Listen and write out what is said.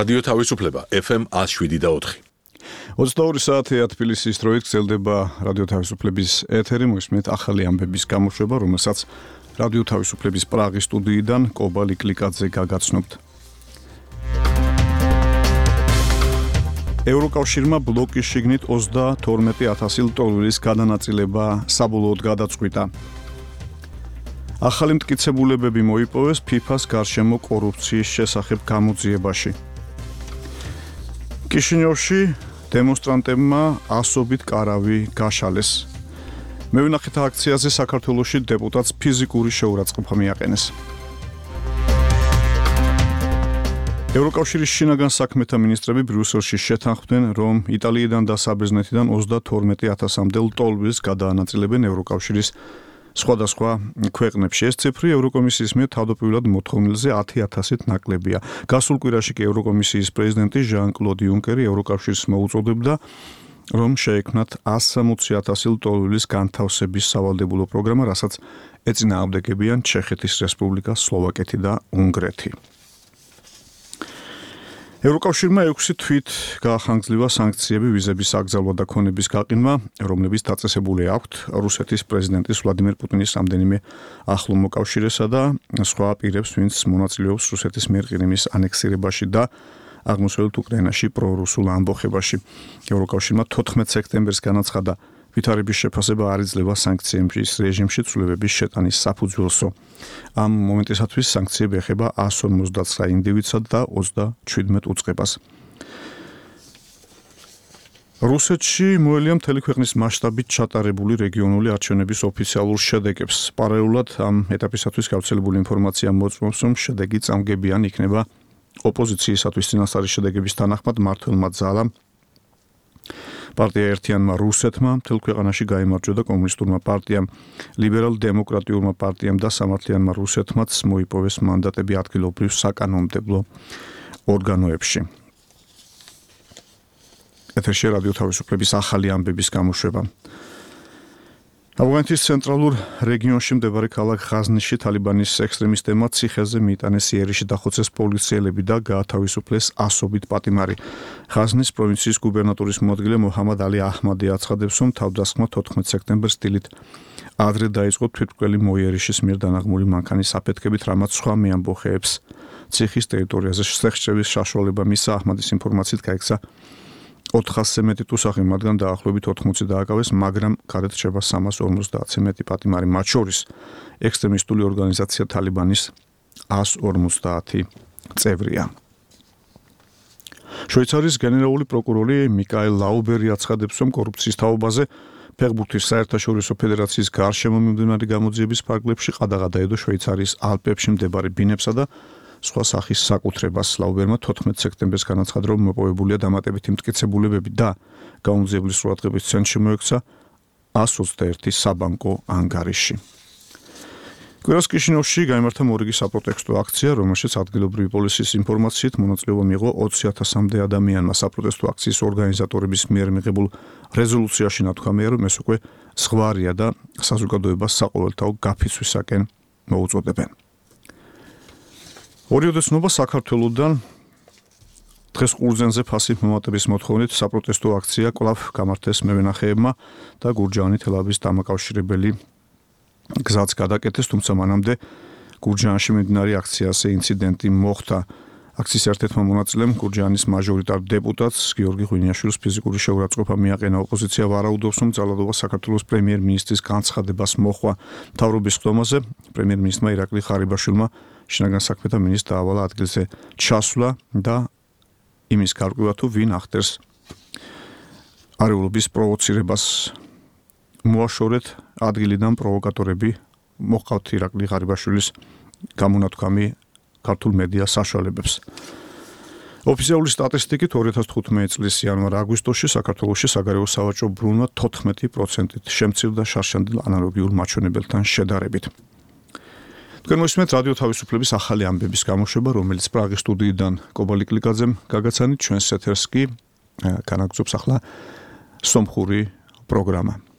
რადიო თავისუფლება FM 107.4. 22 საათია თბილისის დროით გრძელდება რადიო თავისუფლების ეთერი, მოისმენთ ახალი ამბების გამოშვება, რომელსაც რადიო თავისუფლების პრაღის სტუდიიდან კობალი კლიკაძე გაგაცნობთ. ევროკავშირმა ბლოკის შიგნით 32,000 ლტოლვილის გადანაწილება საბოლოოდ გადაწყვიტა. ახალი მტკიცებულებები მოიპოვეს FIFA-ს გარშემო კორუფციის შესახებ გამოძიებაში. კიშინიოვში დემონსტრანტებმა ასობით კარავი გაშალეს. მევინახეთ აქციაზე საქართველოში დეპუტატს ფიზიკური შეურაცხყოფა მიაყენეს. ევროკავშირის შინაგან საქმეთა მინისტრები ბრიუსელში შეთანხმდნენ, რომ იტალიიდან და საბერძნეთიდან 32,000-მდე ლტოლვილს გადაანაწილებენ ევროკავშირის სხვადასხვა ქვეყნებში. ეს ციფრი ევროკომისიის მიერ თავდაპირველად მოთხოვნილზე 10,000-ით ნაკლებია. გასულ კვირაში კი ევროკომისიის პრეზიდენტი ჟან-კლოდ იუნკერი ევროკავშირს მოუწოდებდა, რომ შეექმნათ 160,000 ლტოლვილის განთავსების სავალდებულო პროგრამა, რასაც ეწინააღმდეგებიან ჩეხეთის რესპუბლიკა, სლოვაკეთი და უნგრეთი. ევროკავშირმა 6 თვით გაახანგრძლივა სანქციები ვიზების აკრძალვა და ქონების გაყინვა, რომლებიც დაწესებული აქვთ რუსეთის პრეზიდენტის ვლადიმერ პუტინის რამდენიმე ახლო მოკავშირესა და სხვა პირებს, ვინც მონაწილეობს რუსეთის მიერ ყირიმის ანექსირებაში და აღმოსავლეთ უკრაინაში პრორუსულ ამბოხებაში. ევროკავშირმა 14 სექტემბერს განაცხადა, ვითარების შეფასება არ იძლევა სანქციების რეჟიმში ცვლილებების შეტანის საფუძველსო. ამ მომენტისათვის სანქციები ეხება 159 ინდივიდსა და 27 უწყებას. რუსეთში მოელია მთელი ქვეყნის მასშტაბით ჩატარებული რეგიონული არჩევნების ოფიციალურ შედეგებს. პარალელურად ამ ეტაპისათვის გავრცელებული ინფორმაცია მოწმობს, რომ შედეგი წამგებიანი იქნება ოპოზიციისათვის წინასწარი შედეგების თანახმად მმართველმა ძალამ პარტია ერთიანმა რუსეთმა მთელ ქვეყანაში გაიმარჯვა და კომუნისტურმა პარტიამ, ლიბერალ-დემოკრატიულმა პარტიამ და სამართლიანმა რუსეთმაც მოიპოვეს მანდატები ადგილობრივ საკანონმდებლო ორგანოებში. ეთერში რადიო თავისუფლების ახალი ამბების გამოშვება. ავღანეთის ცენტრალურ რეგიონში მდებარე ქალაქ ღაზნიში თალიბანის ექსტრემისტებმა ციხეზე მიიტანეს იერიში დახოცეს პოლიციელები და გაათავისუფლეს ასობით პატიმარი. ღაზნის პროვინციის გუბერნატორის მოადგილე მოჰამად ალი აჰმადი აცხადებს, რომ თავდასხმა 14 სექტემბერს დილით ადრე დაიწყო თვითმკვლელი მოიერიშის მიერ დანაღმული მანქანის აფეთქებით, რამაც სხვა მეამბოხეებს ციხის ტერიტორიაზე შესაძლებელი საშუალება მისცა. აჰმადის ინფორმაციით გაიქცა 400-ზე მეტი ტუსაღი, მათგან დაახლოებით 80 დააკავეს, მაგრამ გარეთ რჩება 350-ზე მეტი პატიმარი, მათ შორის ექსტრემისტული ორგანიზაცია თალიბანის 150 წევრია. შვეიცარიის გენერალური პროკურორი მიკაელ ლაუბერი აცხადებს, რომ კორუფციის თაობაზე ფეხბურთის საერთაშორისო ფედერაციის გარშემო მიმდინარე გამოძიების ფარგლებში ყადაღა დაედო შვეიცარიის ალპებში მდებარე ბინებსა და სხვა სახის საკუთრებას. ლაუბერმა 14 სექტემბერს განაცხადა, რომ მოპოვებულია დამატებითი მტკიცებულებები და გაუძიებლის ყურადღების ცენტრში მოექცა 121 საბანკო ანგარიში. კვირას კიშინიოვში გაიმართა მორიგი საპროტესტო აქცია, რომელშიც ადგილობრივი პოლიციის ინფორმაციით მონაწილეობა მიიღო 20,000-მდე ადამიანმა. საპროტესტო აქციის ორგანიზატორების მიერ მიღებულ რეზოლუციაში ნათქვამია, რომ ეს უკვე ზღვარია და საზოგადოებას საყოველთაო გაფიცვისაკენ მოუწოდებენ. ორიოდეცნობა საქართველოდან დღეს ყურძენზე ფასი მომატების მოთხოვნით საპროტესტო აქცია კვლავ გამართეს მევენახეებმა და გურჯაანი თელავის დამაკავშირებელი გზაც გადაკეთეს, თუმცა მანამდე გურჯაანში მიმდინარე აქციაზე ინციდენტი მოხდა. აქციის ერთ-ერთმა მონაწილემ გურჯაანის მაჟორიტარ დეპუტატს გიორგი ღვინიაშვილს ფიზიკური შეურაცხყოფა მიაყენა. ოპოზიცია ვარაუდობს, რომ ძალადობა საქართველოს პრემიერ-მინისტრის განცხადებას მოჰყვა. მთავრობის ხდომაზე პრემიერ-მინისტრმა ირაკლი ხარიბაშვილმა შინაგან საქმეთა მინისტრს დაავალა ადგილზე ჩასვლა და იმის გარკვევა თუ ვინ ახდენს არეულობის პროვოცირებას. მოაშორეთ ადგილიდან პროვოკატორები, მოჰყავთ ირაკლი ხარიბაშვილის გამონათქვამი ქართულ მედია საშუალებებს. ოფიციალური სტატისტიკით 2015 წლის იანვარ-აგვისტოში საქართველოში საგარეო სავაჭრო ბრუნვა 14%-ით შემცირდა შარშანდელ ანალოგიურ მაჩვენებელთან შედარებით. თქვენ მოსმენთ რადიო თავისუფლების ახალი ამბების გამოშვება, რომელიც პრაღის სტუდიიდან კობალი კლიკაძემ გაგაცანით, ჩვენს ეთერს კი განაგრძობს ახლა სომხური პროგრამა.